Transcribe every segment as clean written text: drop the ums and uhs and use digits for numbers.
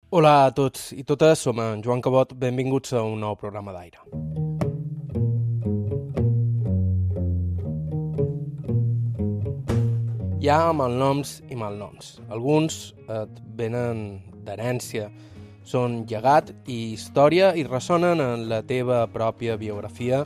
Hola a tots i totes, som en Joan Cabot, benvinguts a un nou programa d'aire. Hi ha malnoms i malnoms. Alguns et venen d'herència, són llegat i història i ressonen en la teva pròpia biografia,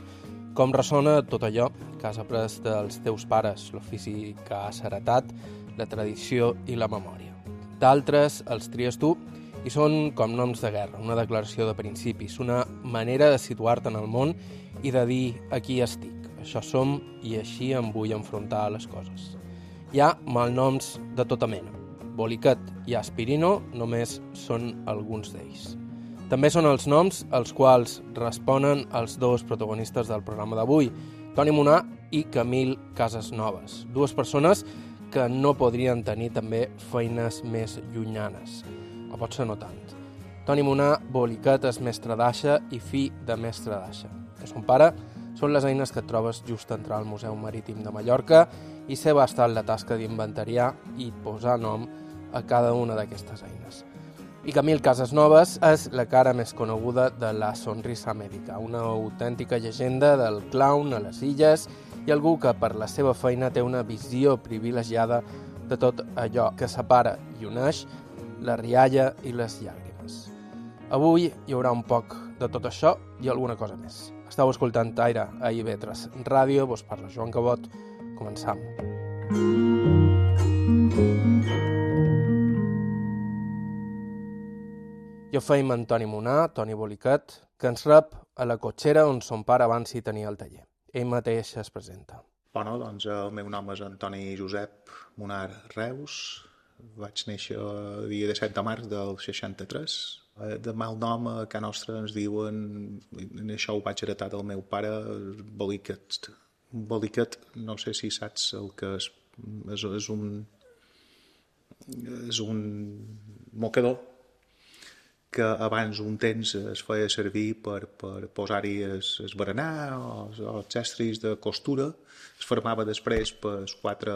com ressona tot allò que has après dels teus pares, l'ofici que has heretat, la tradició i la memòria. D'altres els tries tu i són com noms de guerra, una declaració de principis, una manera de situar-te en el món i de dir aquí estic, això som i així em vull enfrontar a les coses. Hi ha malnoms de tota mena. Boliquet i Aspirino només són alguns d'ells. També són els noms als quals responen els dos protagonistes del programa d'avui, Toni Munar i Camil Casasnoves, dues persones que no podrien tenir també feines més llunyanes. O potser no tant. Toni Munar, Boliquet, és mestre d'aixa i fill de mestre d'aixa. De son pare són les eines que et trobes just a entrar al Museu Marítim de Mallorca i seva ha estat la tasca d'inventariar i posar nom a cada una d'aquestes eines. I Camil Casasnoves és la cara més coneguda de la sonrisa mèdica, una autèntica llegenda del clown a les illes i algú que per la seva feina té una visió privilegiada de tot allò que separa i uneix la rialla i les llàgrimes. Avui hi haurà un poc de tot això i alguna cosa més. Estau escoltant Aire a IB3 Ràdio, vos parla Joan Cabot. Començam. Jo feim en Toni Munar, Toni Boliquet, que ens rep a la cotxera on son pare abans hi tenia el taller. Ell mateix es presenta. Bueno, doncs el meu nom és Antoni Josep Munar Reus. Vaig néixer el dia 17 de març del 63. De mal nom a casa nostra ens diuen, en això ho vaig heretar del meu pare, Boliquet. Boliquet, no sé si saps el que és un mocador que abans un temps es feia servir per posar-hi el berenar o els estris de costura. Es formava després per quatre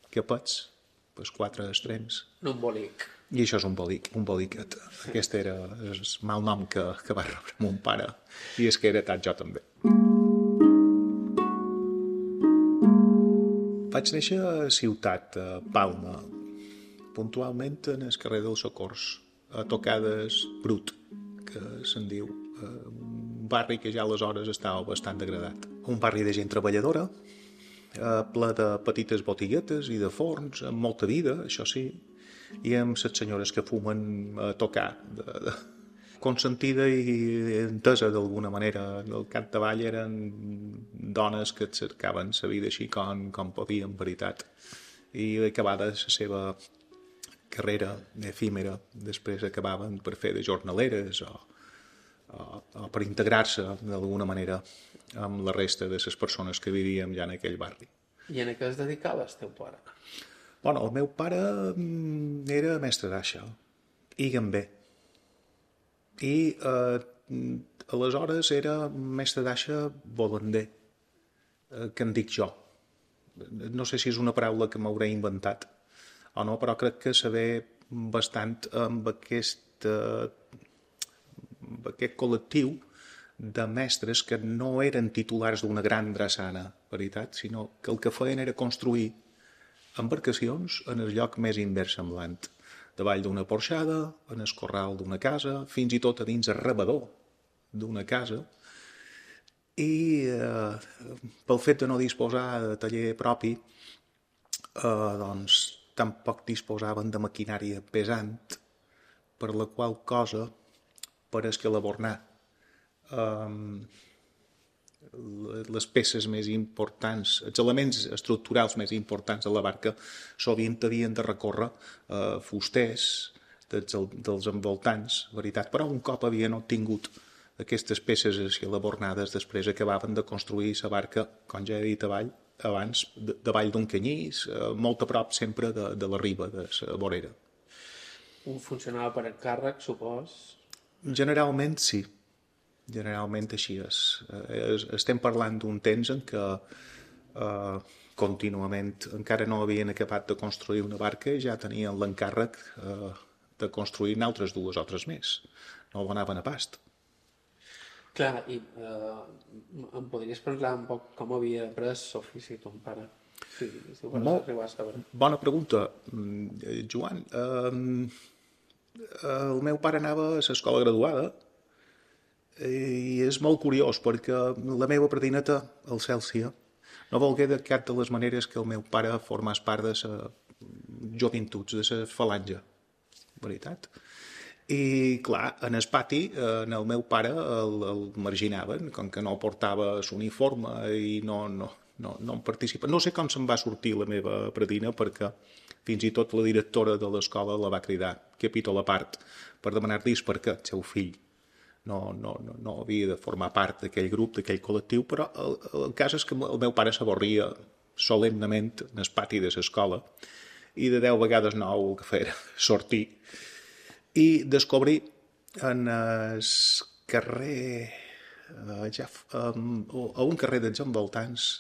capets, per quatre extrems. Un bolic. I això és un boliquet. Aquest era el mal nom que va rebre mon pare i és que he heretat jo també. Vaig néixer a Ciutat, a Palma, puntualment en el carrer dels Socors, a Tocades Brut, que se'n diu, un barri que ja aleshores estava bastant degradat. Un barri de gent treballadora, ple de petites botiguetes i de forns, amb molta vida, això sí, i amb les senyores que fumen a tocar, consentida i entesa d'alguna manera. Al capdavall eren dones que et cercaven la vida així com podien, en veritat. I acabada la seva carrera efímera, després acabaven per fer de jornaleres o per integrar-se d'alguna manera amb la resta de les persones que vivíem ja en aquell barri. I en què es dedicava el teu pare? Bueno, el meu pare era mestre d'aixa i gamber. I aleshores era mestre d'aixa volander, que en dic jo. No sé si és una paraula que m'hauré inventat o no, però crec que se ve bastant amb aquest col·lectiu de mestres que no eren titulars d'una gran drassana, veritat, sinó que el que feien era construir embarcacions en el lloc més inversemblant, davall d'una porxada, en el corral d'una casa, fins i tot a dins el rebedor d'una casa, i pel fet de no disposar de taller propi, doncs tampoc disposaven de maquinària pesant, per la qual cosa, per escalabornar les peces més importants, els elements estructurals més importants de la barca, sovint havien de recórrer fusters dels envoltants, veritat, però un cop havien obtingut aquestes peces escalabornades, després acabaven de construir la barca, com ja he dit abans, davall d'un canyís, molt a prop sempre de la riba, de la vorera. Funcionava per encàrrec, supos? Generalment sí. Generalment així és. Estem parlant d'un temps en què contínuament encara no havien acabat de construir una barca i ja tenien l'encàrrec de construir altres 2 o 3 més. No donaven a past. Clar, i em podries parlar un poc com havia après l'ofici ton pare? Si ho vols arribar a saber. Bona pregunta, Joan. El meu pare anava a l'escola graduada i és molt curiós perquè la meva predineta, el Cèlsia, no volgué de cap de les maneres que el meu pare formés part de la jovintuts, de la falange. Veritat? I, clar, en el pati, en el meu pare el marginaven, com que no portava l'uniforme i no en participa. No sé com se'n va sortir la meva predina, perquè fins i tot la directora de l'escola la va cridar, capítol a part, per demanar-li per què el seu fill no havia de formar part d'aquell grup, d'aquell col·lectiu, però el cas és que el meu pare s'avorria solemnament en el pati de l'escola i de 10 vegades 9 el que feia sortir i descobrir en el carrer a un carrer dels envoltants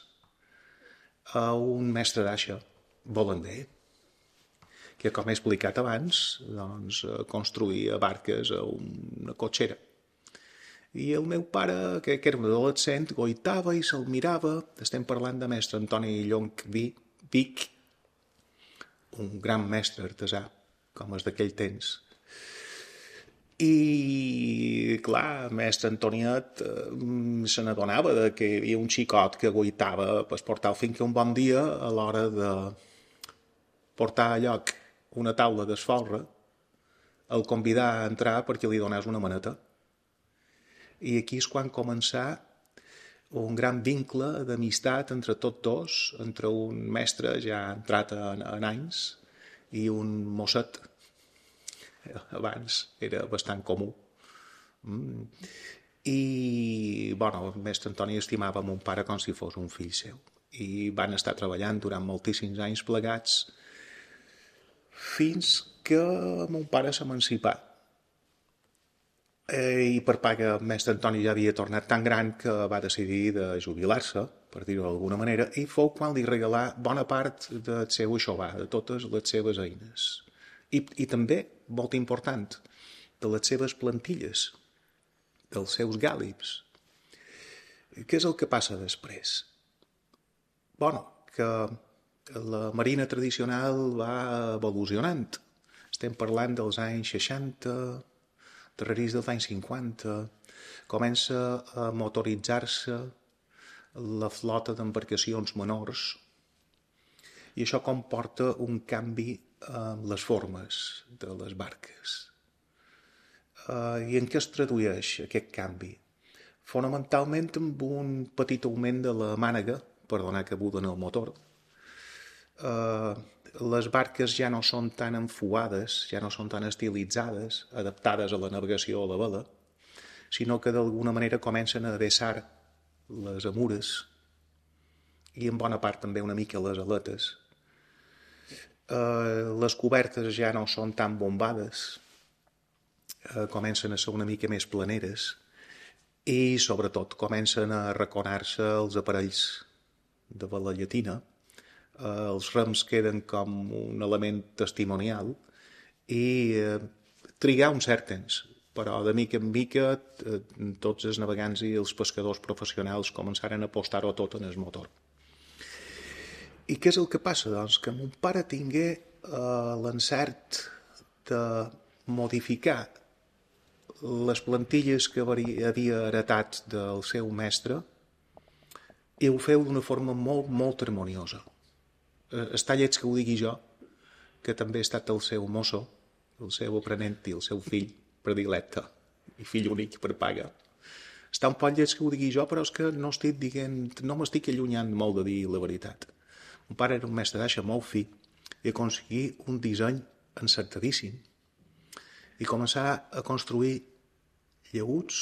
a un mestre d'aixa, Bolander, que, com he explicat abans, doncs, construïa barques a una cotxera. I el meu pare, que era un adolescent, goitava i se'l mirava. Estem parlant de mestre Antoni Llonch Vic, un gran mestre artesà, com és d'aquell temps. I, clar, mestre Antoniet se n'adonava que hi havia un xicot que goitava per portar fins que un bon dia, a l'hora de portar a lloc una taula d'esfolre, el convidà a entrar perquè li donés una maneta. I aquí és quan començà un gran vincle d'amistat entre tots dos, entre un mestre ja entrat en anys i un mosset. Abans era bastant comú. I, bueno, el mestre Antoni estimava mon pare com si fos un fill seu. I van estar treballant durant moltíssims anys plegats fins que mon pare s'emancipà. I per paga el mestre Antoni ja havia tornat tan gran que va decidir de jubilar-se, per dir-ho d'alguna manera, i fou quan li regalà bona part del seu aixovar, de totes les seves eines. I també, molt important, de les seves plantilles, dels seus gàlips. Què és el que passa després? Bueno, que la marina tradicional va evolucionant. Estem parlant dels anys 60, darrerís dels anys 50, comença a motoritzar-se la flota d'embarcacions menors i això comporta un canvi en les formes de les barques. I en què es tradueix aquest canvi? Fonamentalment amb un petit augment de la mànega per donar cabuda en el motor. Les barques ja no són tan enfuades, ja no són tan estilitzades, adaptades a la navegació a la vela, sinó que d'alguna manera comencen a vessar les amures i en bona part també una mica les aletes. Les cobertes ja no són tan bombades, comencen a ser una mica més planeres i sobretot comencen a arraconar-se els aparells de vela llatina. Els rems queden com un element testimonial i trigar un cert temps, però de mica en mica tots els navegants i els pescadors professionals començaren a apostar-ho tot en el motor. I què és el que passa? Doncs que mon pare tingué l'encert de modificar les plantilles que havia heretat del seu mestre i ho feu d'una forma molt, molt harmoniosa. Està lleig que ho digui jo, que també he estat el seu mosso, el seu aprenent i el seu fill predilecte i fill únic per paga. Està un poc lleig que ho digui jo, però és que no m'estic allunyant molt de dir la veritat. Mon pare era un mestre d'aixa molt fi i aconseguí un disseny encertadíssim i començar a construir llaüts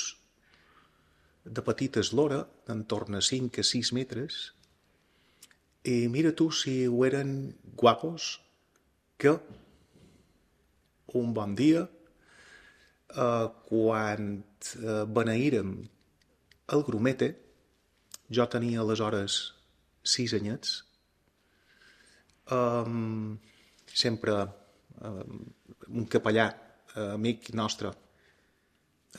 de petita eslora, d'entorn a 5 a 6 metres, i mira tu si ho eren guapos que un bon dia, quan beneírem el grumete, jo tenia aleshores 6 anyets, sempre un capellà amic nostre,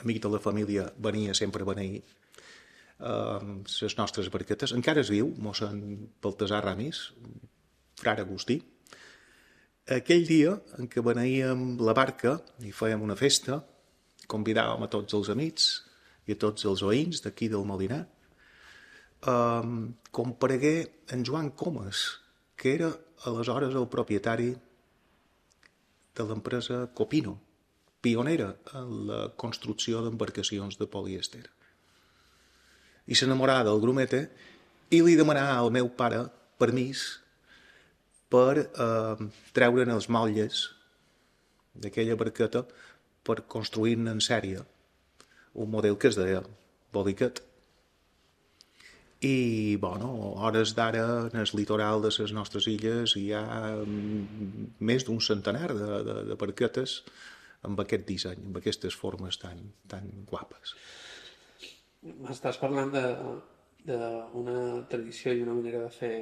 amic de la família, venia sempre a beneir les nostres barquetes. Encara es viu, mossèn Baltasar Ramis, frare Agustí. Aquell dia en què beneíem la barca i fèiem una festa, convidàvem a tots els amics i a tots els veïns d'aquí del Molinar, comparegué en Joan Comas, que era aleshores el propietari de l'empresa Copino, pionera en la construcció d'embarcacions de polièster. I s'enamorà del grumete i li demanà al meu pare permís per treure'n els motlles d'aquella barqueta per construir-ne en sèrie un model que es deia Boliquet. I, bueno, hores d'ara en el litoral de les nostres illes hi ha més d'un centenar de barquetes amb aquest disseny, amb aquestes formes tan guapes. Estàs parlant d'una tradició i una manera de fer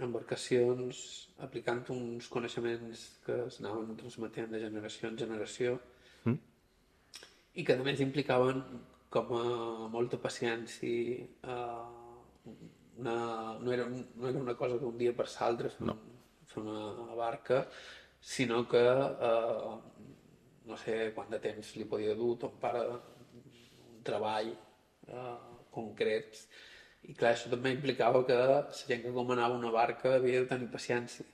embarcacions aplicant uns coneixements que s'anaven transmetent de generació en generació i que a més implicaven com a molta paciència. No era una cosa d'un dia per l'altre fer una barca, sinó que no sé quant de temps li podia dur ton pare un treball concret. I clar, això també implicava que la gent que comanava una barca havia de tenir paciència.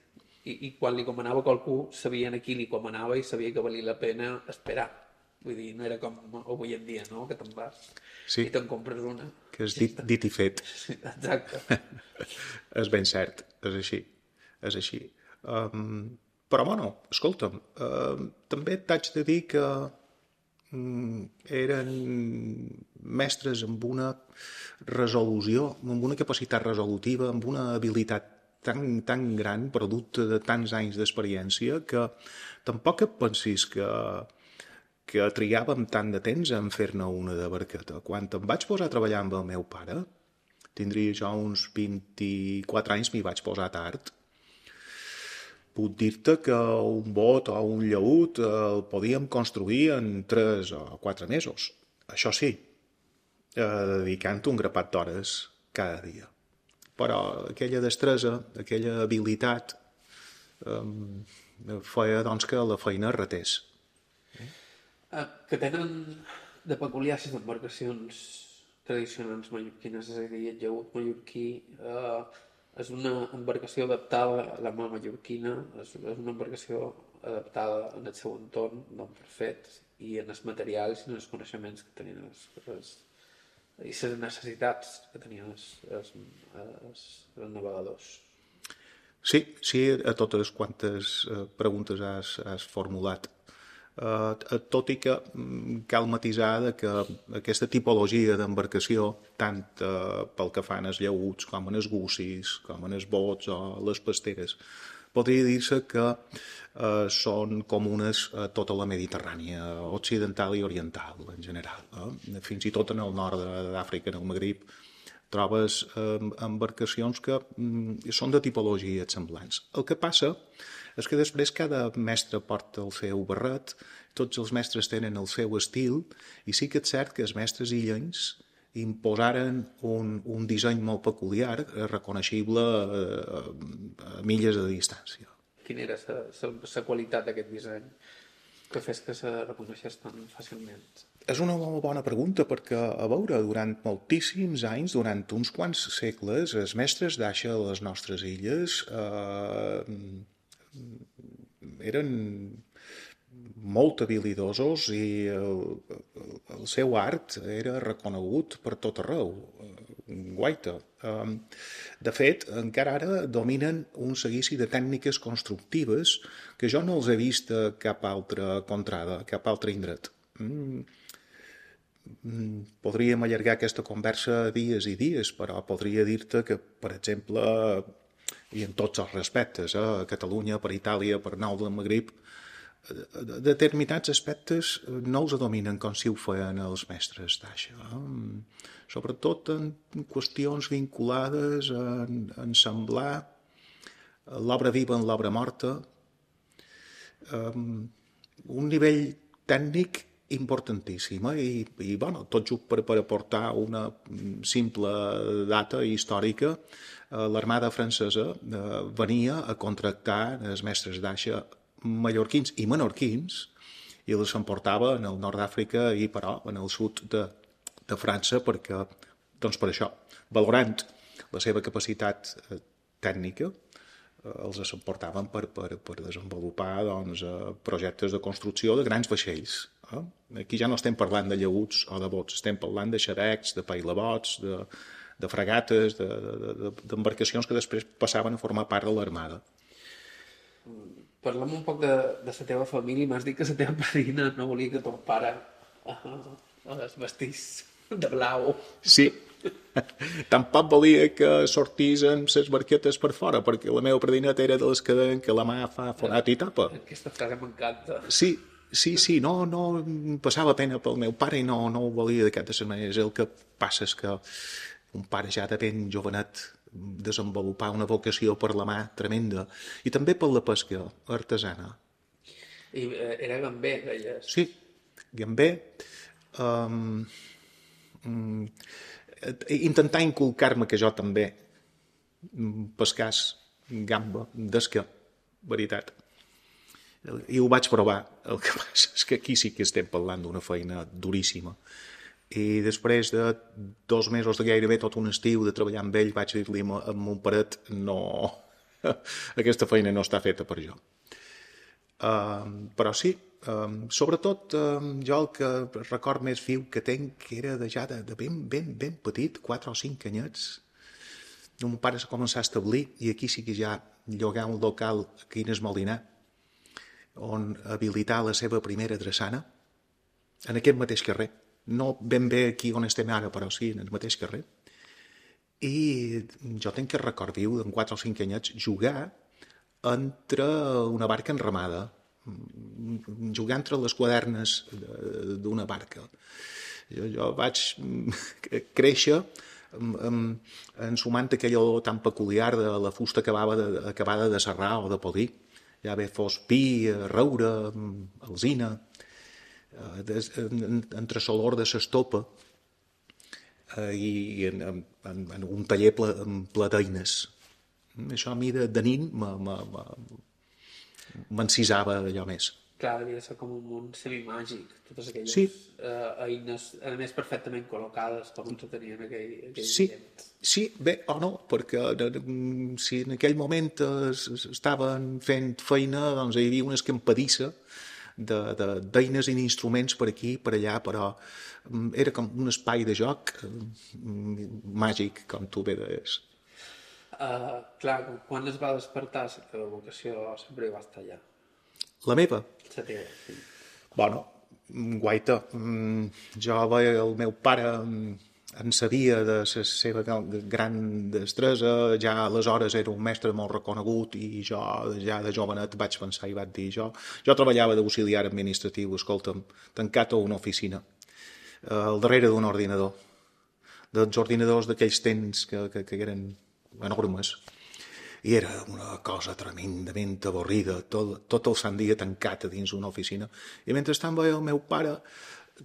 I quan li comanava a qualcú, sabien a qui li comanava i sabia que valia la pena esperar. Vull dir, no era com avui en dia, no?, que te'n vas i te'n compres una. Que és dit i fet. Sí, exacte. És ben cert, és així. Però, bueno, escolta'm, també t'haig de dir que eren mestres amb una resolució, amb una capacitat resolutiva, amb una habilitat tan gran, producte de tants anys d'experiència, que tampoc et pensis que trigàvem tant de temps en fer-ne una de barqueta. Quan em vaig posar a treballar amb el meu pare, tindria jo uns 24 anys, m'hi vaig posar tard, puc dir-te que un bot o un llaüt el podíem construir en 3 o 4 mesos. Això sí, dedicant un grapat d'hores cada dia. Però aquella destresa, aquella habilitat, feia doncs, que la feina ratés. Que tenen de peculiar les embarcacions tradicionals mallorquines, és a dir, el llaüt mallorquí és una embarcació adaptada a la mà mallorquina, és una embarcació adaptada en el seu entorn, doncs perfect, i en els materials i en els coneixements que tenien i les necessitats que tenien els navegadors. Sí, a totes quantes preguntes has formulat. Tot i que cal matisar que aquesta tipologia d'embarcació, tant pel que fan els llaüts com en els gussis, com en els bots o les pasteres, podria dir-se que són comunes a tota la Mediterrània occidental i oriental en general. Fins i tot en el nord d'Àfrica, en el Magrib, trobes embarcacions que són de tipologies semblants. El que passa és que després cada mestre porta el seu barret, tots els mestres tenen el seu estil, i sí que és cert que els mestres illencs imposaren un disseny molt peculiar, reconeixible a milles de distància. Quina era la qualitat d'aquest disseny que fes que se reconeixés tan fàcilment? És una molt bona pregunta, perquè, a veure, durant moltíssims anys, durant uns quants segles, els mestres d'aixa a les nostres illes eren molt habilidosos i el seu art era reconegut per tot arreu, guaita. De fet, encara ara dominen un seguici de tècniques constructives que jo no els he vist a cap altra contrada, a cap altre indret. Podríem allargar aquesta conversa dies i dies, però podria dir-te que, per exemple, i en tots els respectes, a Catalunya, per Itàlia, per nou del Magrib, determinats aspectes no els dominen com si ho feien els mestres d'aixa. Sobretot en qüestions vinculades a ensamblar l'obra viva en l'obra morta, un nivell tècnic importantíssim, i bueno, tot just per aportar una simple data històrica. L'armada francesa venia a contractar els mestres d'aixa mallorquins i menorquins i els emportava en el nord d'Àfrica i, però, en el sud de França perquè, doncs per això, valorant la seva capacitat tècnica, els emportaven per desenvolupar doncs, projectes de construcció de grans vaixells. Aquí ja no estem parlant de llaüts o de bots, estem parlant de xarecs, de pailabots, de fragates, d'embarcacions que després passaven a formar part de l'armada. Parlem un poc de la teva família. M'has dit que la teva padrina no volia que ton pare es vestís de blau. Sí, tampoc volia que sortisen les barquetes per fora, perquè la meva padrineta era de les que deien que la mà fa fonat i tapa. Aquesta frase m'encanta. Sí, no passava pena pel meu pare i no ho volia d'aquestes maneres. El que passa és que un pare ja de ben jovenet desenvolupar una vocació per la mà tremenda i també per la pesca artesana. I era gamber, deies? Sí, gamber. Intentar inculcar-me que jo també pescàs gamba, d'esca, veritat. I ho vaig provar. El que passa és que aquí sí que estem parlant d'una feina duríssima. I després de 2 mesos de gairebé tot un estiu de treballar amb ell, vaig dir-li a mon paret, no, aquesta feina no està feta per jo. Però sí, sobretot jo el que record més viu que tenc era ja de ben petit, 4 o 5 anyets. Mon pare s'ha començat a establir i aquí sí que ja llogar un local aquí en Esmolinar, on habilitar la seva primera drassana, en aquest mateix carrer. No ben bé aquí on estem ara, però sí, en el mateix carrer. I jo tenc que record viu, en 4 o 5 anyets, jugar entre una barca enramada, jugar entre les quadernes d'una barca. Jo vaig créixer ensumant aquell olor tan peculiar de la fusta acabada de serrar o de polir. Ja bé fos pi, roure, alzina, entre l'olor de l'estopa i en un taller ple d'eines. Això a mi de nin m'encisava allò més. Clar, devia ser com un món semimàgic, totes aquelles eines, a més perfectament col·locades, com ens ho tenien aquell temps. Sí, bé o no, perquè si en aquell moment estaven fent feina, doncs hi havia una escampadissa d'eines i d'instruments per aquí, per allà, però era com un espai de joc màgic, com tu bé deies. Clar, quan es va despertar la teva vocació sempre hi va estar allà? La meva? La teva, sí. Bueno, guaita. Jo veia el meu pare en sabia de la seva gran destresa, ja aleshores era un mestre molt reconegut i jo ja de jovenet vaig pensar i vaig dir jo treballava d'auxiliar administratiu, escolta'm, tancat a una oficina, al darrere d'un ordinador, dels ordinadors d'aquells temps que eren enormes, i era una cosa tremendament avorrida, tot el sant dia tancat a dins una oficina. I mentrestant veia el meu pare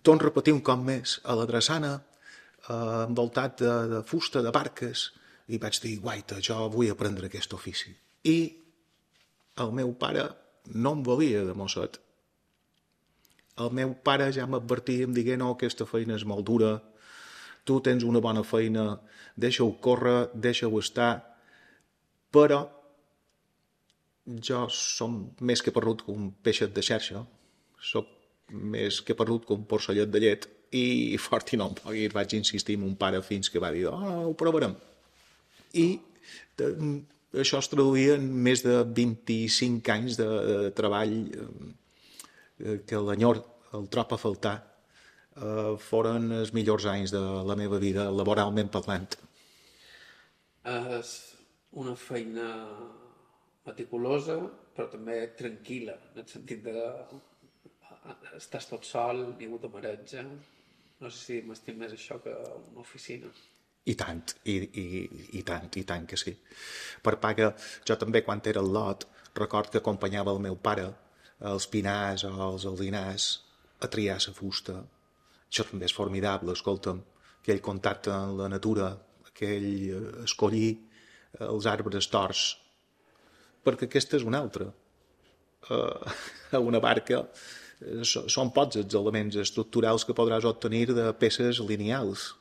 torn repetir un cop més a la drassana, envoltat de fusta, de barques, i vaig dir, guaita, jo vull aprendre aquest ofici. I el meu pare no em volia de mosset. El meu pare ja m'advertia, em digué, no, aquesta feina és molt dura, tu tens una bona feina, deixa-ho córrer, deixa-ho estar, però jo som més que parrut que un peixet de xarxa, soc més que parrut que un porcellet de llet, i fort i no em pogui, vaig insistir amb un pare fins que va dir, ho provarem. I això es traduïa en més de 25 anys de treball que l'enyor, el trob a faltar, foren els millors anys de la meva vida, laboralment parlant. És una feina meticulosa, però també tranquil·la, en el sentit de estàs tot sol, ningú te mareja. No sé si m'estim més això que una oficina. I tant, i tant que sí. Per paga, jo també quan era al lot, record que acompanyava el meu pare als pinars o als aldinars a triar la fusta. Això també és formidable, escolta'm, aquell contacte amb la natura, aquell escollir els arbres torts, perquè aquesta és una altra. A una barca són pocs els elements estructurals que podràs obtenir de peces lineals.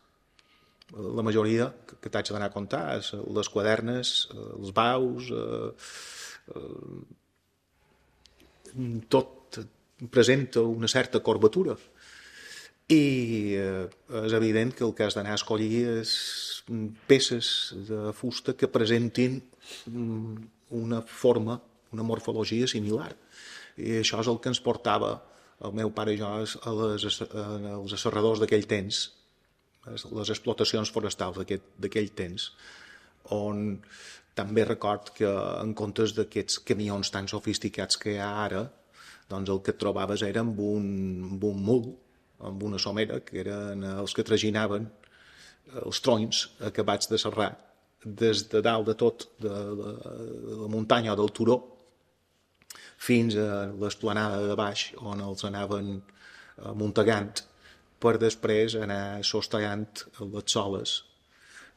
La majoria que t'haig d'anar a comptar, les quadernes, els baus, tot presenta una certa corbatura. I és evident que el que has d'anar a escollir és peces de fusta que presentin una forma, una morfologia similar. I això és el que ens portava el meu pare i jo als asserradors d'aquell temps, les explotacions forestals d'aquell temps, on també record que en comptes d'aquests camions tan sofisticats que hi ha ara, doncs el que et trobaves era amb un mul, amb una somera, que eren els que traginaven els tronys acabats de serrar des de dalt de tot, de la muntanya o del turó, fins a l'esplanada de baix, on els anaven muntegant per després anar sostegant les soles.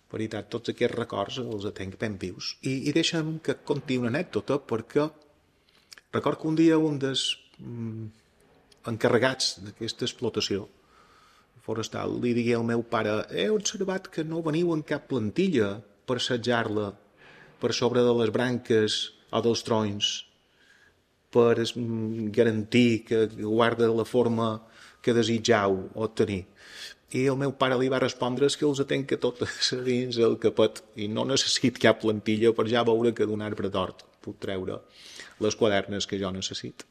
En veritat, tots aquests records els tenc ben vius. I deixa'm que conti una anècdota, perquè record que un dia un dels encarregats d'aquesta explotació forestal li digué al meu pare: he observat que no veniu en cap plantilla per assetjar-la per sobre de les branques o dels tronys per garantir que guarda la forma que desitjau obtenir. I el meu pare li va respondre que els atenc totes dins el capet i no necessit cap plantilla per ja veure que d'un arbre d'hort puc treure les quadernes que jo necessito.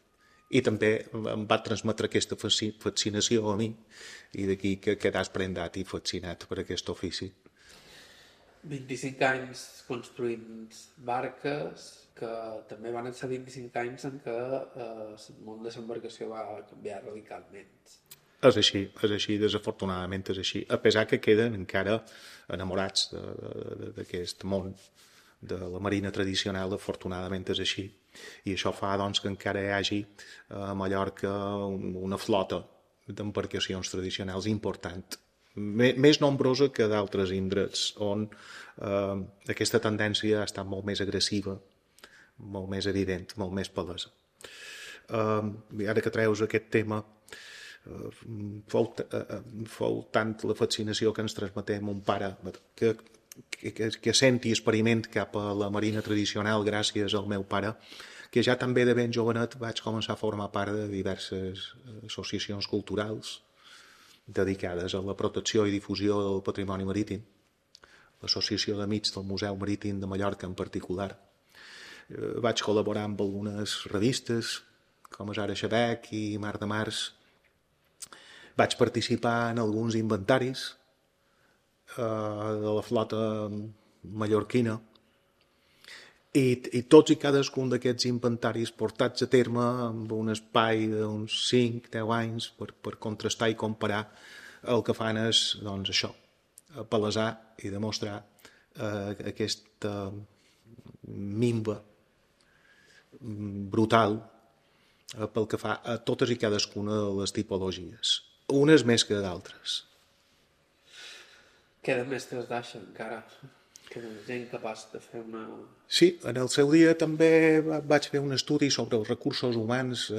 I també em va transmetre aquesta fascinació a mi i d'aquí que quedàs prendat i fascinat per aquest ofici. 25 anys construint barques, que també van ser 25 anys en què el món de l'embarcació va canviar radicalment. És així, desafortunadament és així, a pesar que queden encara enamorats d'aquest món de la marina tradicional, afortunadament és així. I això fa doncs, que encara hi hagi a Mallorca una flota d'embarcacions tradicionals important, més nombrosa que d'altres indrets, on aquesta tendència ha estat molt més agressiva, molt més evident, molt més palesa. Ara que treus aquest tema, fou tant la fascinació que ens transmeté mon pare que senti experiment cap a la marina tradicional gràcies al meu pare, que ja també de ben jovenet vaig començar a formar part de diverses associacions culturals dedicades a la protecció i difusió del patrimoni marítim, l'Associació d'Amics del Museu Marítim de Mallorca en particular. Vaig col·laborar amb algunes revistes com Ara Xabec i Mar de Mars. Vaig participar en alguns inventaris de la flota mallorquina i tots i cadascun d'aquests inventaris portats a terme amb un espai d'uns 5-10 anys per contrastar i comparar el que fan és doncs, això, palesar i demostrar aquesta minva brutal pel que fa a totes i cadascuna de les tipologies, unes més que d'altres. Queda mestres d'aixa encara, queda gent capaç de fer una... Sí, en el seu dia també vaig fer un estudi sobre els recursos humans,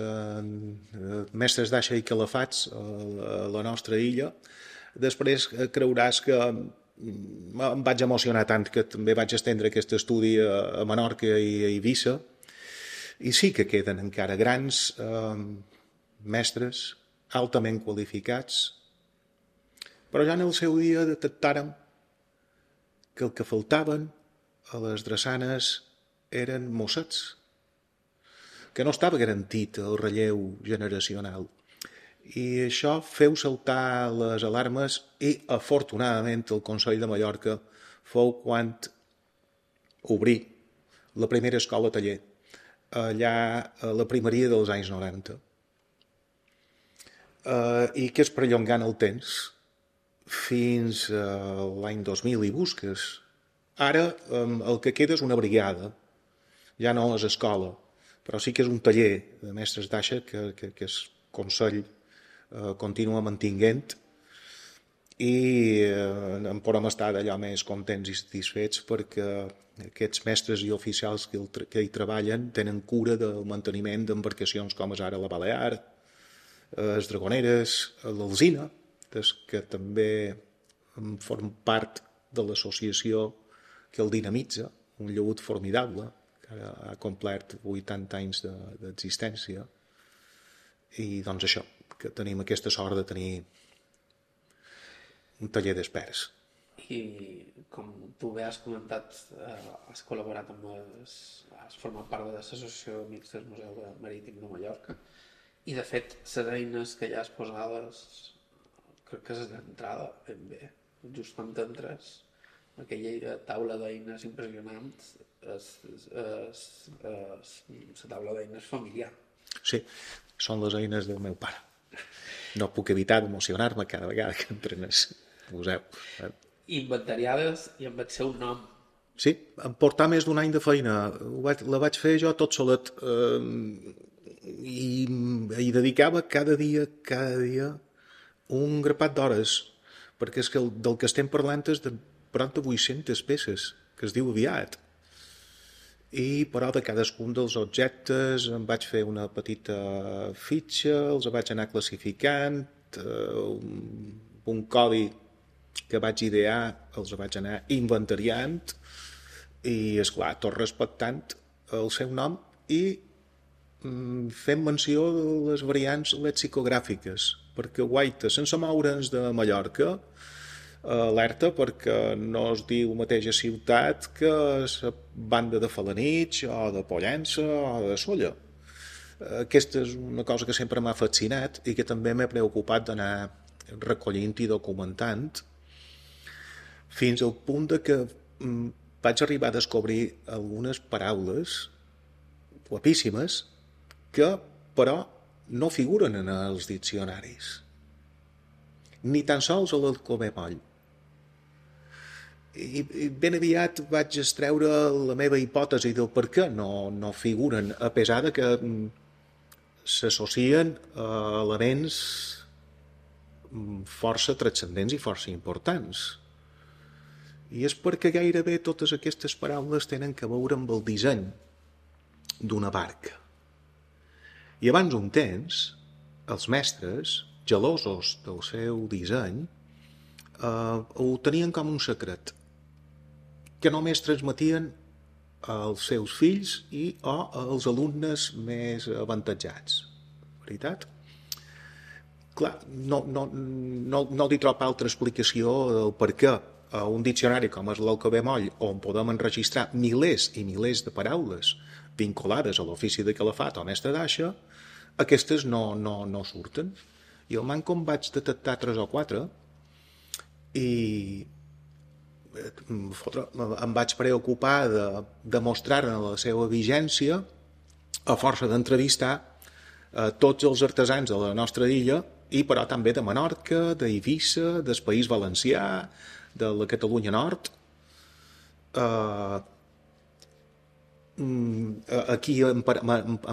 mestres d'aixa i calafats a la nostra illa. Després creuràs que em vaig emocionar tant que també vaig estendre aquest estudi a Menorca i a Eivissa. I sí que queden encara grans mestres altament qualificats, però ja en el seu dia detectàrem que el que faltaven a les drassanes eren mossets, que no estava garantit el relleu generacional. I això feu saltar les alarmes i, afortunadament, el Consell de Mallorca fou quan obrí la primera escola taller, allà a la primeria dels anys 90. I que és perllongant el temps fins a l'any 2000 i busques. Ara el que queda és una brigada, ja no és escola, però sí que és un taller de mestres d'aixa que el Consell continua mantinguent i en podem estar d'allò més contents i satisfets perquè aquests mestres i oficials que hi treballen tenen cura del manteniment d'embarcacions com és ara la Balear, les Dragoneres, l'Alzina, que també formen part de l'associació que el dinamitza, un llegut formidable, que ara ha complert 80 anys d'existència. I doncs això, que tenim aquesta sort de tenir un taller d'experts. I com tu bé has comentat, has col·laborat amb has format part de l'associació d'Amics del Museu Marítim de Mallorca i de fet les eines que ja has posades crec que és d'entrada ben bé, just quan t'entres aquella taula d'eines impressionant la taula d'eines familiar. Sí, són les eines del meu pare. No puc evitar d'emocionar-me cada vegada que entren al museu. Inventariades i amb el seu nom. Sí, em portà més d'un any de feina. La vaig fer jo tot solet i hi dedicava cada dia un grapat d'hores, perquè és que del que estem parlant és de prop de 800 peces, que es diu aviat. I però de cadascun dels objectes em vaig fer una petita fitxa, els vaig anar classificant, un codi que vaig idear els vaig anar inventariant i, esclar, tot respectant el seu nom i fent menció de les variants lexicogràfiques, perquè guaita, sense moure'ns de Mallorca, alerta perquè no es diu mateixa ciutat que la banda de Falanitx o de Pollença o de Solla. Aquesta és una cosa que sempre m'ha fascinat i que també m'he preocupat d'anar recollint i documentant fins al punt de que vaig arribar a descobrir algunes paraules guapíssimes que però no figuren en els diccionaris, ni tan sols a l'Alcover Moll. I ben aviat vaig extreure la meva hipòtesi del per què no figuren, a pesar de que s'associen a elements força transcendents i força importants. I és perquè gairebé totes aquestes paraules tenen a veure amb el disseny d'una barca. I abans d'un temps, els mestres, gelosos del seu disseny, ho tenien com un secret, que només transmetien als seus fills o als alumnes més avantatjats. Veritat? Clar, no li trobo altra explicació del per què a un diccionari com és l'Alcover Moll, on podem enregistrar milers i milers de paraules vinculades a l'ofici de calafat o mestre d'aixa, aquestes no surten. I al manco em vaig detectar 3 o 4 i em vaig preocupar de demostrar-ne la seva vigència a força d'entrevistar tots els artesans de la nostra illa i però també de Menorca, d'Eivissa, del País Valencià, de la Catalunya Nord. Aquí em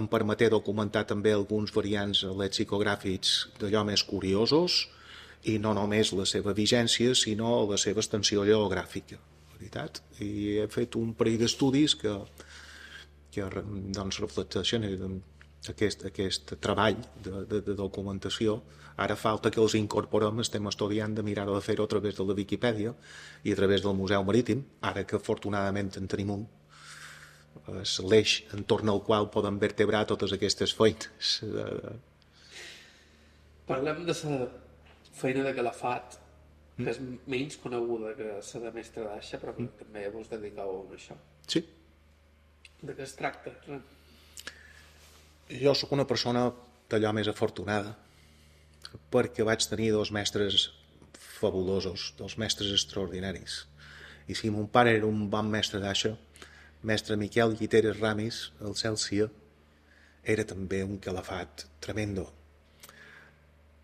permeté documentar també alguns variants lexicogràfics d'allò més curiosos i no només la seva vigència sinó la seva extensió geogràfica, veritat? I he fet un parell d'estudis que doncs reflecteixen aquest treball de documentació. Ara falta que els incorporem, estem estudiant de mirar de fer-ho a través de la Viquipèdia i a través del Museu Marítim, ara que afortunadament en tenim un. És l'eix entorn al qual poden vertebrar totes aquestes feines. Parlem de la feina de calafat, que és menys coneguda que la de mestre d'aixa, però també vos dediqueu a això. Sí. De què es tracta? Jo sóc una persona d'allò més afortunada, perquè vaig tenir 2 mestres fabulosos, 2 mestres extraordinaris. I si mon pare era un bon mestre d'aixa, mestre Miquel Guiteres Ramis, el Cèlsia, era també un calafat tremendo.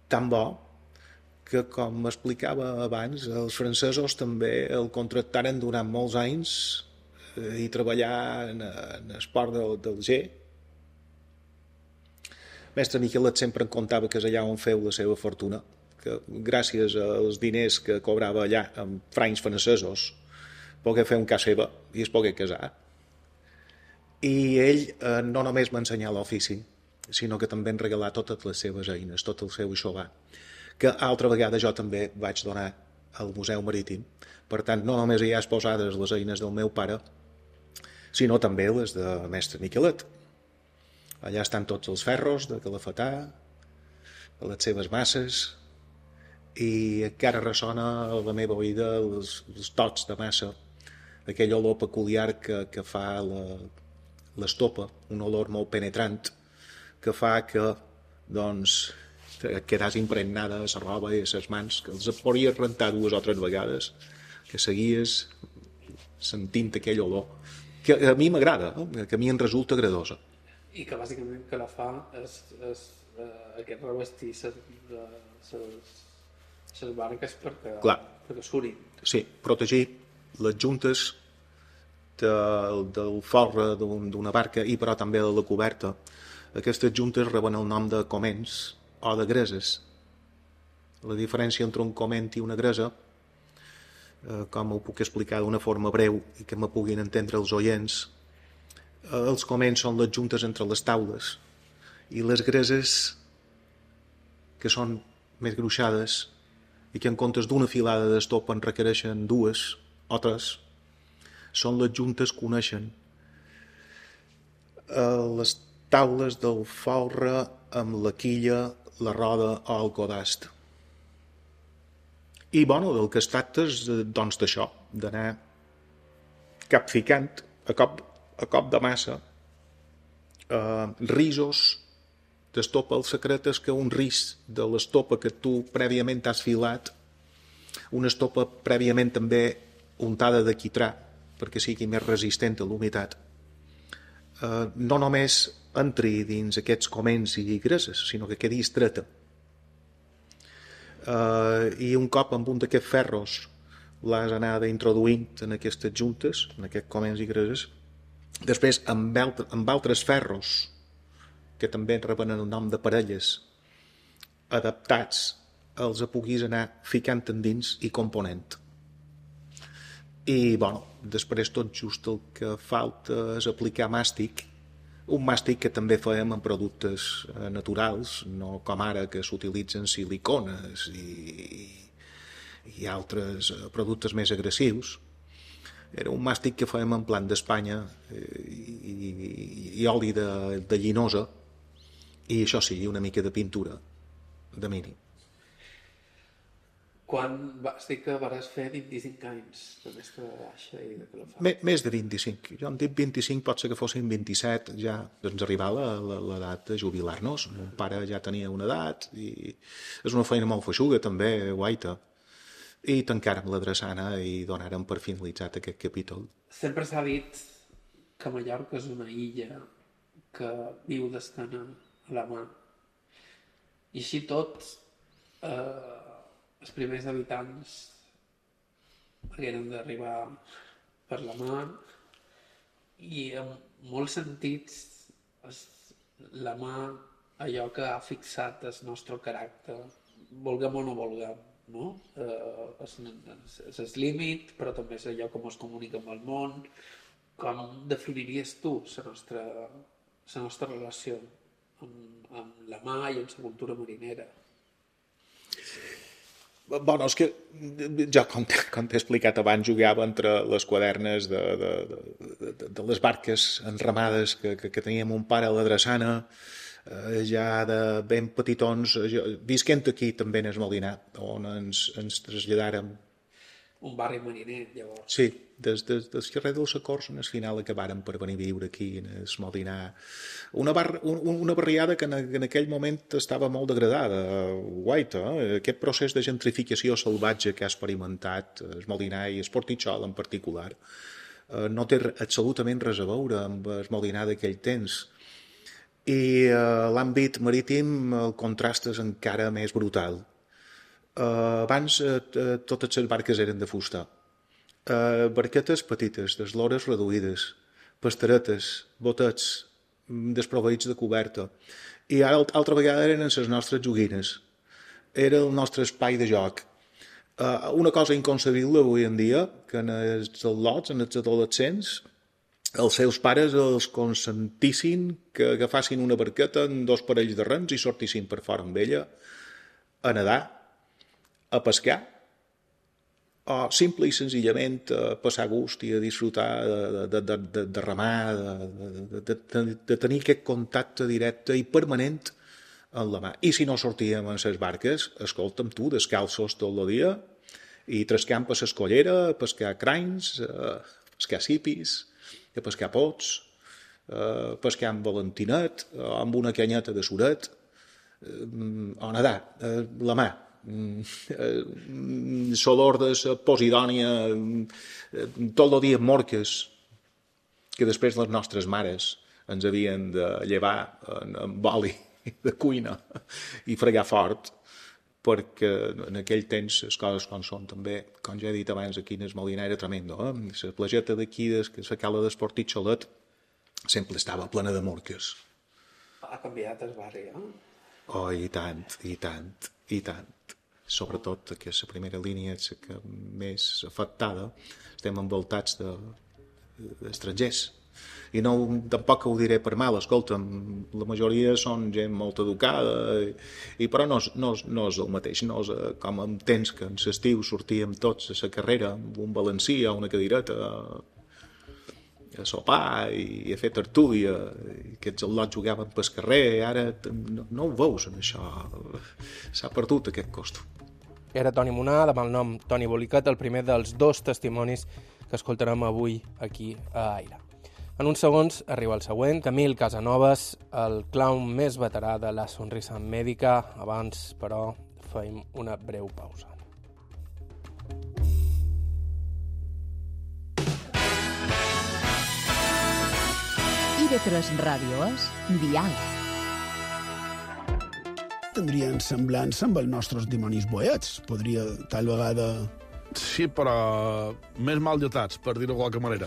Tan bo que, com m'explicava abans, els francesos també el contractaren durant molts anys i treballar en esport del G, Mestre Miquelet sempre em contava que és allà on feu la seva fortuna, que gràcies als diners que cobrava allà amb francs francesos pogué fer un cas seva i es pogué casar. I ell no només m'ensenyà l'ofici, sinó que també em regalà totes les seves eines, tot el seu xovar, que altra vegada jo també vaig donar al Museu Marítim. Per tant, no només hi ha exposades les eines del meu pare, sinó també les de Mestre Miquelet. Allà estan tots els ferros de Calafetà, les seves masses, i encara ressona a la meva oïda els tots de massa, aquell olor peculiar que fa l'estopa, un olor molt penetrant, que fa que, doncs, quedàs impregnada a la roba i a les mans, que els podries rentar 2 o 3 vegades, que seguies sentint aquell olor, que a mi m'agrada, que a mi em resulta agradosa. I que bàsicament que la fa és aquest revestir les barques perquè surin. Sí, protegir les juntes del folre d'una barca i però també de la coberta. Aquestes juntes reben el nom de coments o de greses. La diferència entre un coment i una gresa, com ho puc explicar d'una forma breu i que me puguin entendre els oients, els coments són les juntes entre les taules i les greses, que són més gruixades i que en comptes d'una filada d'estopa en requereixen 2 o 3, són les juntes que uneixen les taules del folre amb la quilla, la roda o el codast. I, bueno, del que es tracta és, doncs, d'això, d'anar capficant a cop de massa risos d'estopa. El secret és que un ris de l'estopa que tu prèviament has filat, una estopa prèviament també untada de quitrà, perquè sigui més resistent a l'humitat, no només entri dins aquests coments i greses, sinó que quedi estreta. I un cop amb un d'aquests ferros l'has anat introduint en aquestes juntes, en aquests coments i greses, després amb altres ferros que també reben el nom de parelles adaptats, els puguis anar ficant endins i component. I, bueno, després tot just el que falta és aplicar màstic, un màstic que també fèiem en productes naturals, no com ara que s'utilitzen silicones i altres productes més agressius. Era un màstic que fèiem en plant d'Espanya i oli de llinosa, i això sí, una mica de pintura de mini. Quan vas dir que vas fer 25 anys de mestre de baixa i de Calafat? Més de 25. Jo em dic 25, pot ser que fossin 27, ja ens arribava l'edat de jubilar-nos. Mon pare ja tenia una edat i és una feina molt feixuga també, guaita. I tancàrem la drassana i donàrem per finalitzat aquest capítol. Sempre s'ha dit que Mallorca és una illa que viu d'escana a la mà. I així tot, els primers habitants hagueren d'arribar per la mar i en molts sentits la mà, allò que ha fixat el nostre caràcter, vulguem o no vulguem, no? És el límit, però també és allò com es comunica amb el món. Com definiries tu la nostra relació amb la mà i amb la cultura marinera? Bueno, és que jo, com t'he explicat abans, jugava entre les quadernes de les barques enramades que tenia mon pare a la drassana, ja de ben petitons, visquent aquí també en el Molinar, on ens traslladàrem. Un barri mariner, llavors. Sí, des carrer dels Acords en el final acabàrem per venir a viure aquí en el Molinar. Una barriada que en aquell moment estava molt degradada, guaita. Aquest procés de gentrificació salvatge que ha experimentat el Molinar i el Portitxol en particular no té absolutament res a veure amb el Molinar d'aquell temps. I l'àmbit marítim el contrast és encara més brutal. Abans totes les barques eren de fusta, barquetes petites, d'eslores reduïdes, pasteretes, botets desproveïts de coberta, I ara, altra vegada, eren les nostres joguines. Era el nostre espai de joc. Una cosa inconcebible avui en dia, que en els al·lots, en els adolescents, els seus pares els consentissin que agafassin una barqueta amb 2 parells de rems i sortissin per fora amb ella a nedar, a pescar, o simple i senzillament a passar gust i a disfrutar de remar, de tenir aquest contacte directe i permanent en la mà. I si no sortíem en les barques, escolta'm tu, descalços tot el dia, i trascant per l'escollera, a pescar cranys, a pescar sipis, a pescar pots, a pescar amb valentinet, amb una canyeta de suret, o nedar, la mà. L'olor de la Posidònia, tot el dia morques, que després les nostres mares ens havien de llevar amb oli de cuina i fregar fort, perquè en aquell temps les coses com són també, com ja he dit abans, aquí en el Molinar era tremendo. La plageta d'aquí, la cala d'Esportit Xolet, sempre estava plena de morques. Ha canviat el barri, Oh, i tant, i tant, i tant. Sobretot que la primera línia és la que més afectada. Estem envoltats d'estrangers. I no, tampoc ho diré per mal, escolta'm, la majoria són gent molt educada, però no és el mateix, no és com en temps que en l'estiu sortíem tots a la carrera amb un balancí o una cadireta a sopar i a fer tertúlia, i aquests al·lots jugaven pel carrer, ara no ho veus en això, s'ha perdut aquest costum. Era Toni Munar, de malnom Toni Boliquet, el primer dels 2 testimonis que escoltarem avui aquí a Aire. En uns segons arriba el següent, Camil Casanovas, el clown més veterà de La Sonrisa Mèdica. Abans, però, fem una breu pausa. IB3 Ràdio és Dial. Tindrien semblança amb els nostres dimonis boets. Podria, tal vegada... Sí, però més mal dotats, per dir-ho de qualque manera.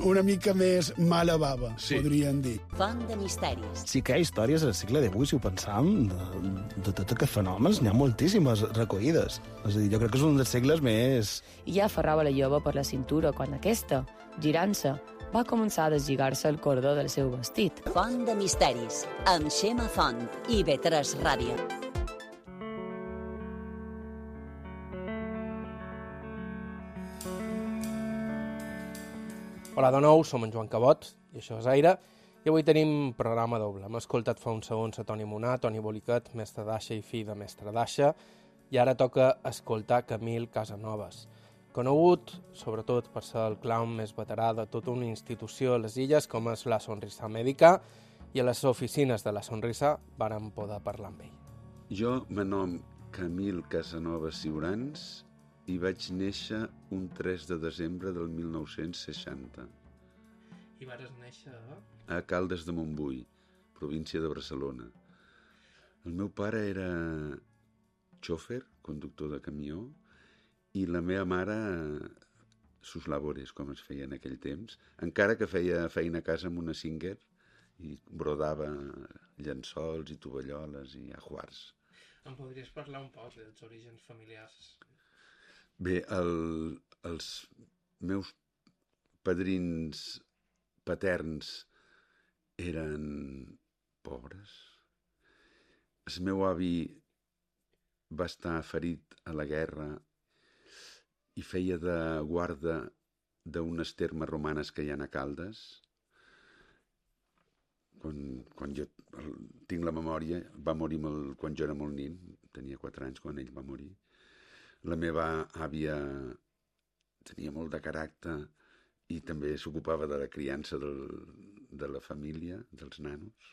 Una mica més mala bava, sí. Podríem dir. Font de misteris. Sí que hi ha històries al segle XVIII, si ho pensam, de tots aquests fenòmens, n'hi ha moltíssimes recollides. És a dir, jo crec que és un dels segles més... I ja aferrava la jove per la cintura quan aquesta, girant-se, va començar a deslligar-se el cordó del seu vestit. Font de misteris, amb Xema Font i IB3 Ràdio. Hola de nou, som en Joan Cabot, i això és Aire, i avui tenim programa doble. Hem escoltat fa uns segons a Toni Munar, Toni Boliquet, mestre d'aixa i fill de mestre d'aixa, i ara toca escoltar Camil Casanovas, conegut sobretot per ser el clown més veterà de tota una institució a les Illes com és La Sonrisa Mèdica, i a les oficines de La Sonrisa vàrem poder parlar amb ell. Jo me nom Camil Casanovas Ciurans i vaig néixer un 3 de desembre del 1960. I vas néixer a Caldes de Montbui, província de Barcelona. El meu pare era xòfer, conductor de camió, i la meva mare sus labores, com es feia en aquell temps, encara que feia feina a casa amb una Singer i brodava llençols i tovalloles i ajuars. Em podries parlar un poc dels orígens familiars? Bé, els meus padrins paterns eren pobres. El meu avi va estar ferit a la guerra i feia de guarda d'unes termes romanes que hi ha a Caldes. Quan jo tinc la memòria, va morir quan jo era molt nin, tenia 4 anys quan ell va morir. La meva àvia tenia molt de caràcter i també s'ocupava de la criança de la família, dels nanos,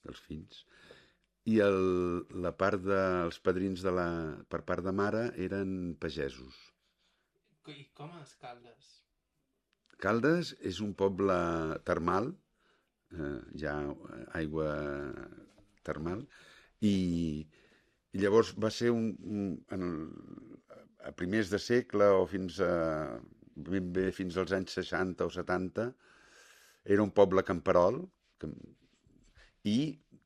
dels fills. I la part dels padrins per part de mare eren pagesos. I com és Caldes? Caldes és un poble termal, hi ha aigua termal, i llavors va ser a primers de segle o fins als anys 60 o 70, era un poble camperol i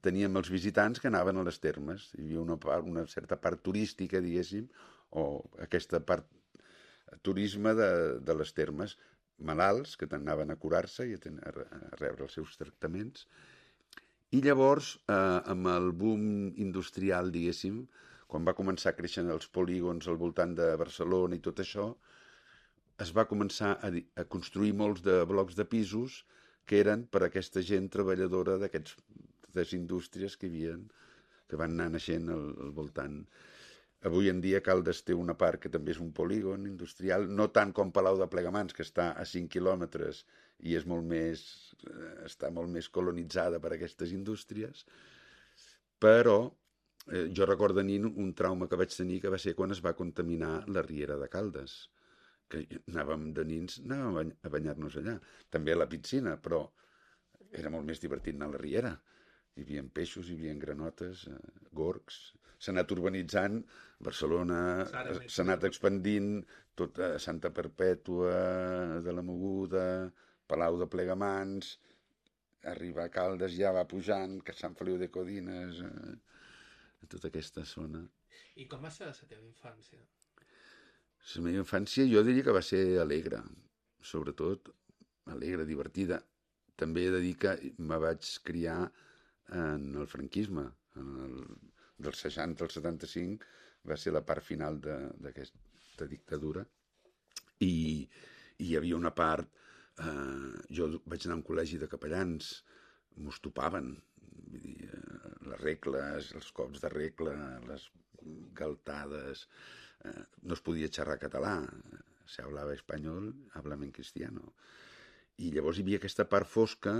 teníem els visitants que anaven a les termes. Hi havia una certa part turística, diguéssim, o aquesta part turisme de les termes, malalts que anaven a curar-se i a rebre els seus tractaments. I llavors, amb el boom industrial, diguéssim, quan va començar a créixer els polígons al voltant de Barcelona i tot això, es va començar a construir molts de blocs de pisos que eren per a aquesta gent treballadora d'aquestes indústries que van anar naixent al voltant. Avui en dia Caldes té una part que també és un polígon industrial, no tant com Palau de Plegamans, que està a 5 quilòmetres i és està molt més colonitzada per aquestes indústries, però jo recordo de nin un trauma que vaig tenir que va ser quan es va contaminar la riera de Caldes, que anàvem de nins a banyar-nos allà. També a la piscina, però era molt més divertit anar a la riera. Hi havia peixos, hi havia granotes, gorgs. S'ha anat urbanitzant, Barcelona s'ha anat expandint, tot Santa Perpètua, de la Moguda, Palau de Plegamans, arribar a Caldes ja va pujant, que Sant Feliu de Codines, tota aquesta zona. I com va ser la teva infància? La meva infància jo diria que va ser alegre, sobretot alegre, divertida. També he de dir que me vaig criar en el franquisme, del 60 al 75 va ser la part final d'aquesta dictadura i hi havia una part, jo vaig anar a un col·legi de capellans, mos topaven, vull dir, les regles, els cops de regla, les galtades, no es podia xerrar català, se hablava espanyol, háblame en cristiano. I llavors hi havia aquesta part fosca,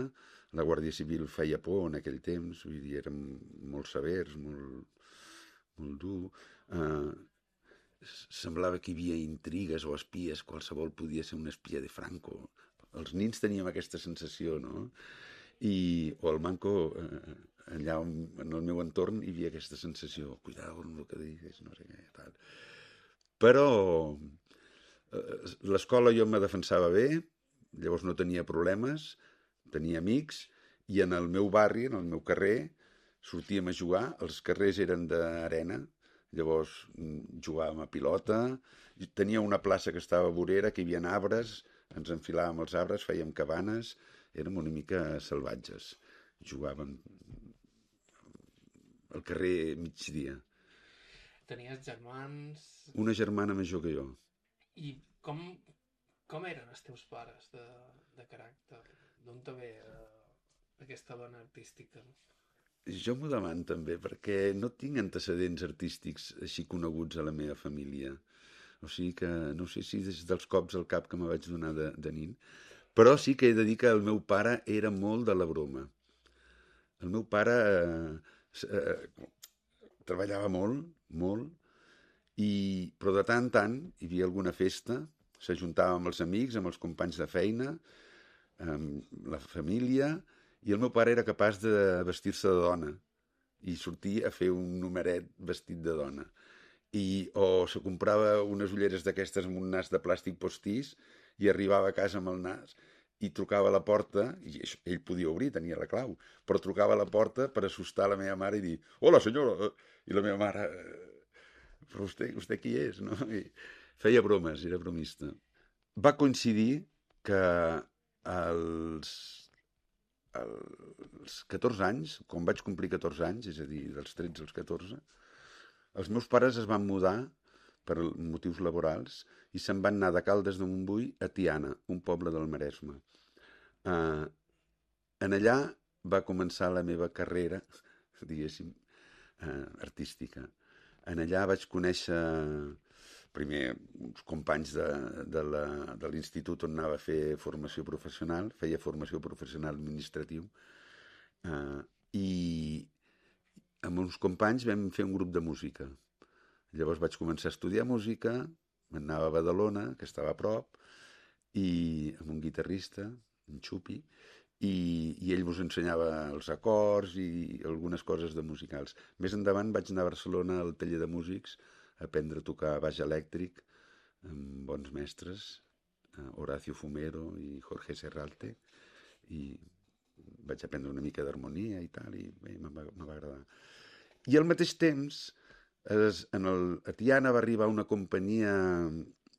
la Guàrdia Civil feia por en aquell temps, vull dir, érem molt severs, molt dur. Semblava que hi havia intrigues o espies, qualsevol podia ser un espia de Franco. Els nins teníem aquesta sensació, no? O el manco, allà en el meu entorn hi havia aquesta sensació, cuidado amb el que digues, no sé què, tal. Però l'escola jo me defensava bé, llavors no tenia problemes, tenia amics, i en el meu barri, en el meu carrer, sortíem a jugar, els carrers eren d'arena, llavors jugàvem a pilota, tenia una plaça que estava vorera, que hi havia arbres, ens enfilàvem els arbres, fèiem cabanes, érem una mica salvatges, jugàvem al carrer migdia. Tenies germans? Una germana major que jo. I com eren els teus pares de caràcter? D'on te ve aquesta dona artística? Jo m'ho demano també, perquè no tinc antecedents artístics així coneguts a la meva família. O sigui que no sé si des dels cops al cap que me vaig donar de nin, però sí que he de dir que el meu pare era molt de la broma. El meu pare treballava molt, però de tant en tant hi havia alguna festa, s'ajuntava amb els amics, amb els companys de feina, amb la família, i el meu pare era capaç de vestir-se de dona i sortir a fer un numeret vestit de dona. O se comprava unes ulleres d'aquestes amb un nas de plàstic postís i arribava a casa amb el nas i trucava a la porta, i ell podia obrir, tenia la clau, però trucava a la porta per assustar la meva mare i dir «Hola, senyora!» I la meva mare «Però vostè qui és?» No? I feia bromes, era bromista. Va coincidir que als 14 anys, quan vaig complir 14 anys, és a dir, dels 13 als 14, els meus pares es van mudar per motius laborals i se'n van anar de Caldes de Montbui a Tiana, un poble del Maresme. En allà va començar la meva carrera, diguéssim, artística. En allà vaig conèixer primer uns companys de l'institut on anava a fer formació professional, feia formació professional administratiu, i amb uns companys vam fer un grup de música. Llavors vaig començar a estudiar música, anava a Badalona, que estava a prop, i amb un guitarrista, en Xupi, i ell ens ensenyava els acords i algunes coses de musicals. Més endavant vaig anar a Barcelona al taller de músics a aprendre a tocar baix elèctric amb bons mestres, Horacio Fumero i Jorge Serralte, i vaig aprendre una mica d'harmonia i tal, i bé, me va agradar. I al mateix temps, a Tiana va arribar una companyia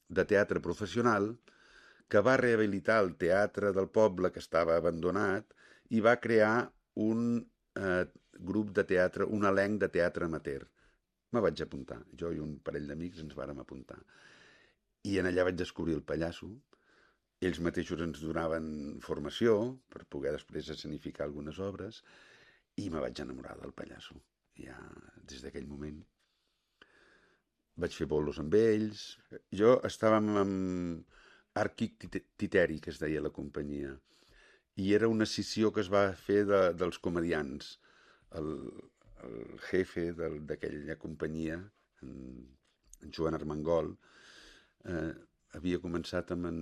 de teatre professional que va rehabilitar el teatre del poble que estava abandonat i va crear un grup de teatre, un elenc de teatre amateur. Me vaig apuntar. Jo i un parell d'amics ens vàrem apuntar. I en allà vaig descobrir el pallasso. Ells mateixos ens donaven formació per poder després escenificar algunes obres i me vaig enamorar del pallasso. Ja des d'aquell moment vaig fer bolos amb ells. Jo estàvem amb Arquic Titeri, que es deia la companyia, i era una escissió que es va fer dels comedians. El jefe d'aquella companyia, en Joan Armengol, havia començat amb en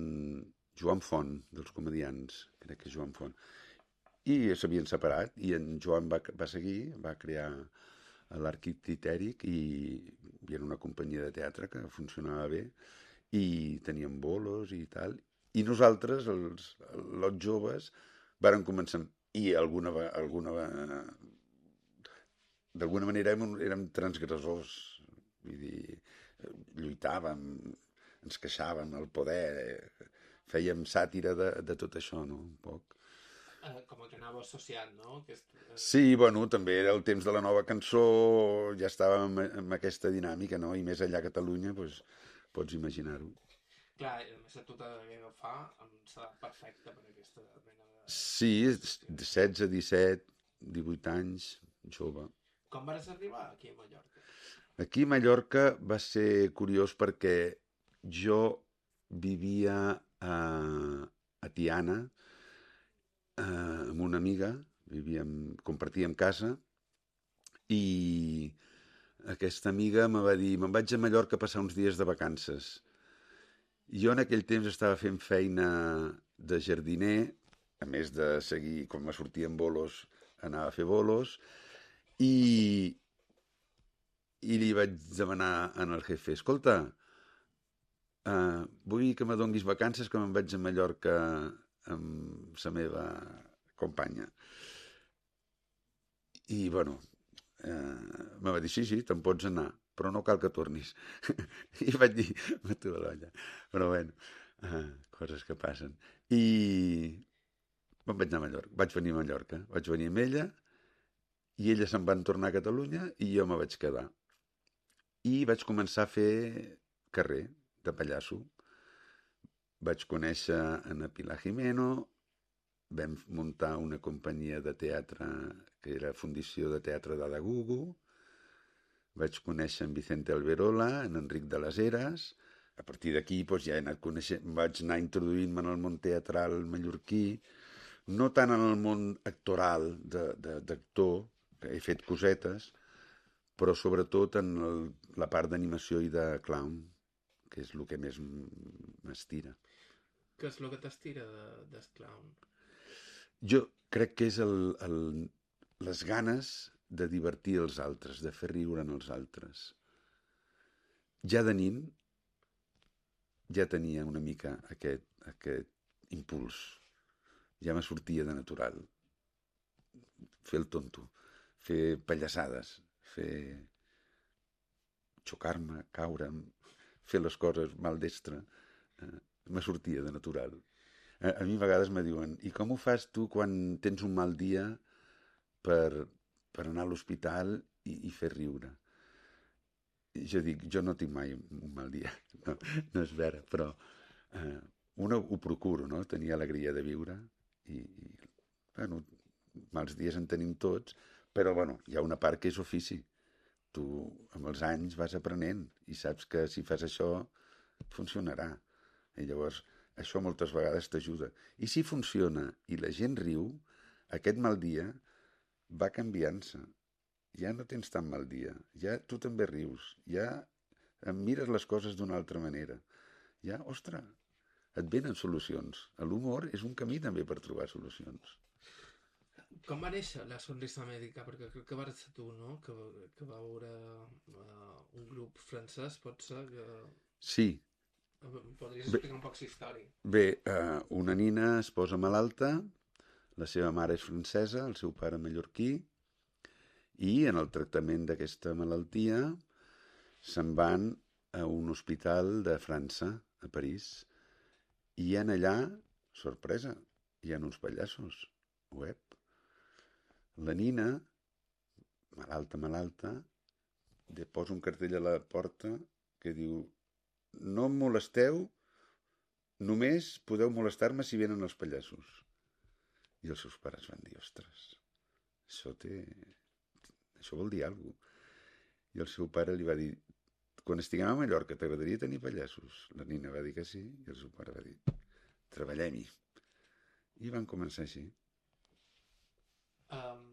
Joan Font, dels comedians, crec que Joan Font, i s'havien separat, i en Joan va seguir, va crear l'Arquic Titèric, i era una companyia de teatre que funcionava bé, i teníem bolos i tal, i nosaltres, els joves, vàrem començar, i d'alguna manera érem transgressors, vull dir, lluitàvem, ens queixàvem, el poder, fèiem sàtira de tot això, no?, un poc. Com que anava associat, no? Sí, bueno, també era el temps de la nova cançó, ja estàvem amb aquesta dinàmica, no?, i més allà a Catalunya, doncs, pots imaginar-ho. Clar, a més a tu que fa, serà perfecte per aquesta mena de... Sí, 16, 17, 18 anys, jove. Com vas arribar aquí a Mallorca? Aquí a Mallorca va ser curiós perquè jo vivia a Tiana amb una amiga, compartíem casa, i aquesta amiga me va dir, me'n vaig a Mallorca a passar uns dies de vacances. Jo en aquell temps estava fent feina de jardiner, a més de seguir, com me sortia en bolos, anava a fer bolos, i li vaig demanar al jefe, escolta, vull que me donguis vacances, que me'n vaig a Mallorca amb la meva companya. I, bueno, me va dir, sí, te'n pots anar, però no cal que tornis. I vaig dir, m'atu de l'olla. Però, bueno, coses que passen. I me'n vaig anar a Mallorca, vaig venir a Mallorca, vaig venir amb ella, i ella se'n van tornar a Catalunya i jo me vaig quedar. I vaig començar a fer carrer de pallasso. Vaig conèixer a Pilar Jimeno, vam muntar una companyia de teatre que era Fundició de Teatre d'Adagugu, vaig conèixer en Vicente Alberola, en Enric de les Heres, a partir d'aquí doncs, ja he anat coneixent, vaig anar introduint-me en el món teatral mallorquí, no tant en el món actoral d'actor, que he fet cosetes, però sobretot en la part d'animació i de clown, que és el que més m'estira. Què és el que t'estira del clown? Jo crec que és les ganes de divertir els altres, de fer riure en els altres. Ja de nin ja tenia una mica aquest impuls. Ja me sortia de natural. Fer el tonto, fer pallassades, xocar-me, caure'm, fer les coses maldestre, me sortia de natural. A mi a vegades me diuen, i com ho fas tu quan tens un mal dia per anar a l'hospital i fer riure? Jo dic, jo no tinc mai un mal dia, no és vera, però ho procuro, no?, tenir alegria de viure, i bueno, mals dies en tenim tots, però bueno, hi ha una part que és ofici. Tu amb els anys vas aprenent i saps que si fas això funcionarà. I llavors això moltes vegades t'ajuda. I si funciona i la gent riu, aquest mal dia va canviant-se. Ja no tens tan mal dia, ja tu també rius, ja mires les coses d'una altra manera. Ja, ostres, et venen solucions. L'humor és un camí també per trobar solucions. Com va néixer la Sonrisa Mèdica? Perquè crec que vas ser tu, no?, que va veure un grup francès, pot ser que... Sí. Podries explicar un poc la història? Bé, una nina es posa malalta, La seva mare és francesa, el seu pare mallorquí, i en el tractament d'aquesta malaltia se'n van a un hospital de França, a París, i hi ha allà, sorpresa, hi ha uns pallassos web. La Nina, malalta, posa un cartell a la porta que diu: no em molesteu, només podeu molestar-me si venen els pallassos. I els seus pares van dir: ostres, això vol dir alguna cosa. I el seu pare li va dir: quan estiguem a Mallorca, t'agradaria tenir pallassos? La Nina va dir que sí, i el seu pare va dir: treballem-hi. I van començar així.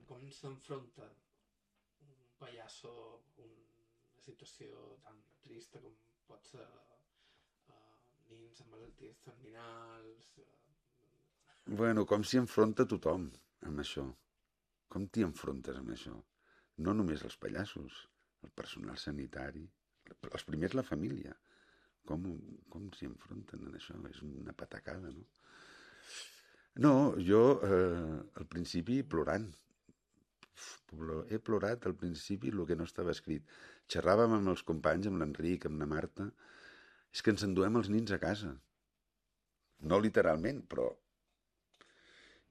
Com s'enfronta un pallasso a una situació tan trista com pot ser nins amb malalties terminals? Bueno, com s'hi enfronta tothom amb això. Com t'hi enfrontes amb això? No només els pallassos, el personal sanitari, els primers la família. Com s'hi enfronten en això? És una patacada, no? No, jo al principi plorant. He plorat al principi el que no estava escrit. Xerràvem amb els companys, amb l'Enric, amb la Marta. És que ens enduem els nins a casa. No literalment, però...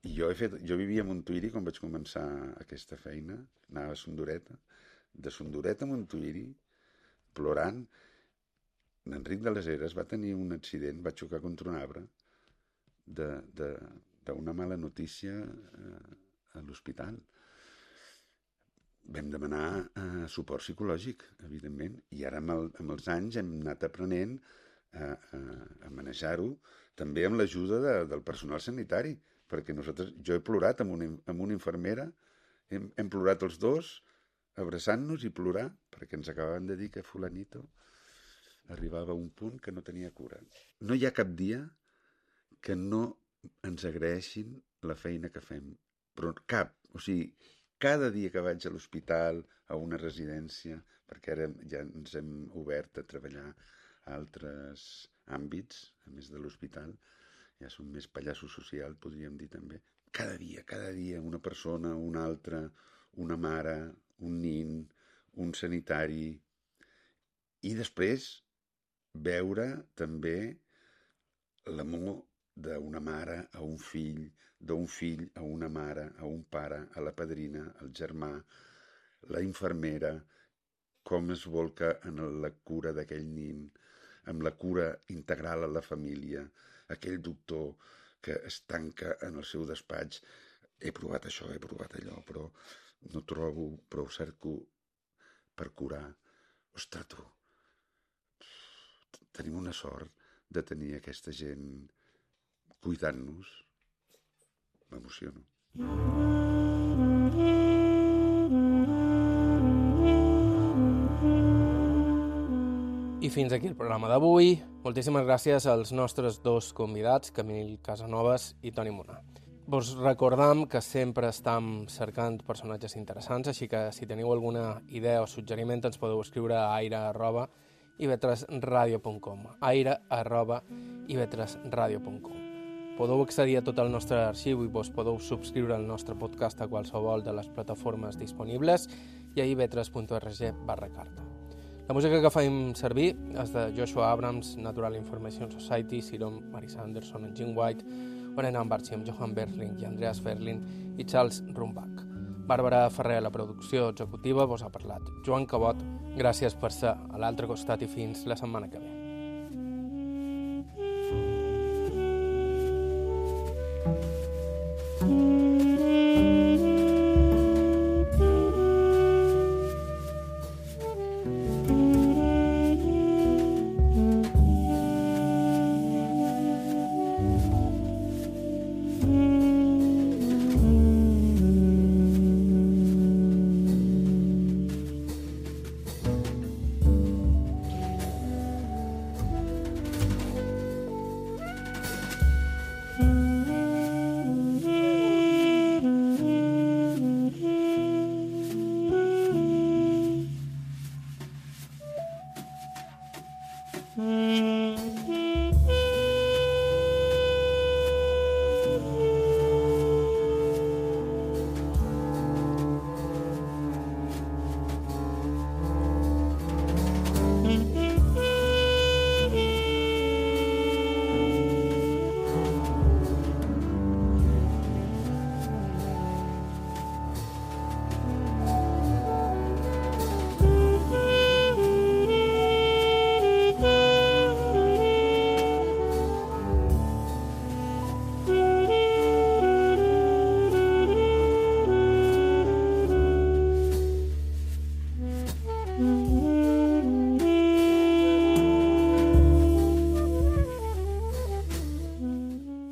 I jo vivia a Montuïri quan vaig començar aquesta feina. Anava a Sondoreta. De Sondoreta a Montuïri, plorant. L'Enric de les Heres va tenir un accident, va xocar contra un arbre d'una mala notícia a l'hospital. Vam demanar suport psicològic, evidentment, i ara amb els anys hem anat aprenent a manejar-ho, també amb l'ajuda del personal sanitari, perquè jo he plorat amb una infermera, hem plorat els dos, abraçant-nos i plorar, perquè ens acabaven de dir que fulanito arribava a un punt que no tenia cura. No hi ha cap dia que no ens agraeixin la feina que fem, però cap, o sigui, cada dia que vaig a l'hospital, a una residència, perquè ara ja ens hem obert a treballar a altres àmbits, a més de l'hospital, ja som més pallasso social, podríem dir també. Cada dia, una persona, una altra, una mare, un nin, un sanitari, i després veure també l'amor d'una mare a un fill, d'un fill a una mare, a un pare, a la padrina, al germà, la infermera, com es volca en la cura d'aquell nin, amb la cura integral a la família, aquell doctor que es tanca en el seu despatx. He provat això, he provat allò, però no trobo prou cerco per curar. Ostres, tu, tenim una sort de tenir aquesta gent cuidant-nos. M'emociono. I fins aquí el programa d'avui. Moltíssimes gràcies als nostres dos convidats, Camil Casanovas i Toni Munar. Vos recordam que sempre estem cercant personatges interessants, així que si teniu alguna idea o suggeriment ens podeu escriure a aire@ivetresradio.com aire@ivetresradio.com. Podeu accedir a tot el nostre arxiu i vos podeu subscriure al nostre podcast a qualsevol de les plataformes disponibles i a ivetres.org/carta. La música que fem servir és de Joshua Abrams, Natural Information Society, Siron Marisa Anderson, Jim White, Orenan Barchi amb Johan Berling i Andreas Ferlin i Charles Rumbach. Bàrbara Ferrer a la producció executiva, vos ha parlat Joan Cabot. Gràcies per ser a l'altre costat i fins la setmana que ve. Mm-hmm.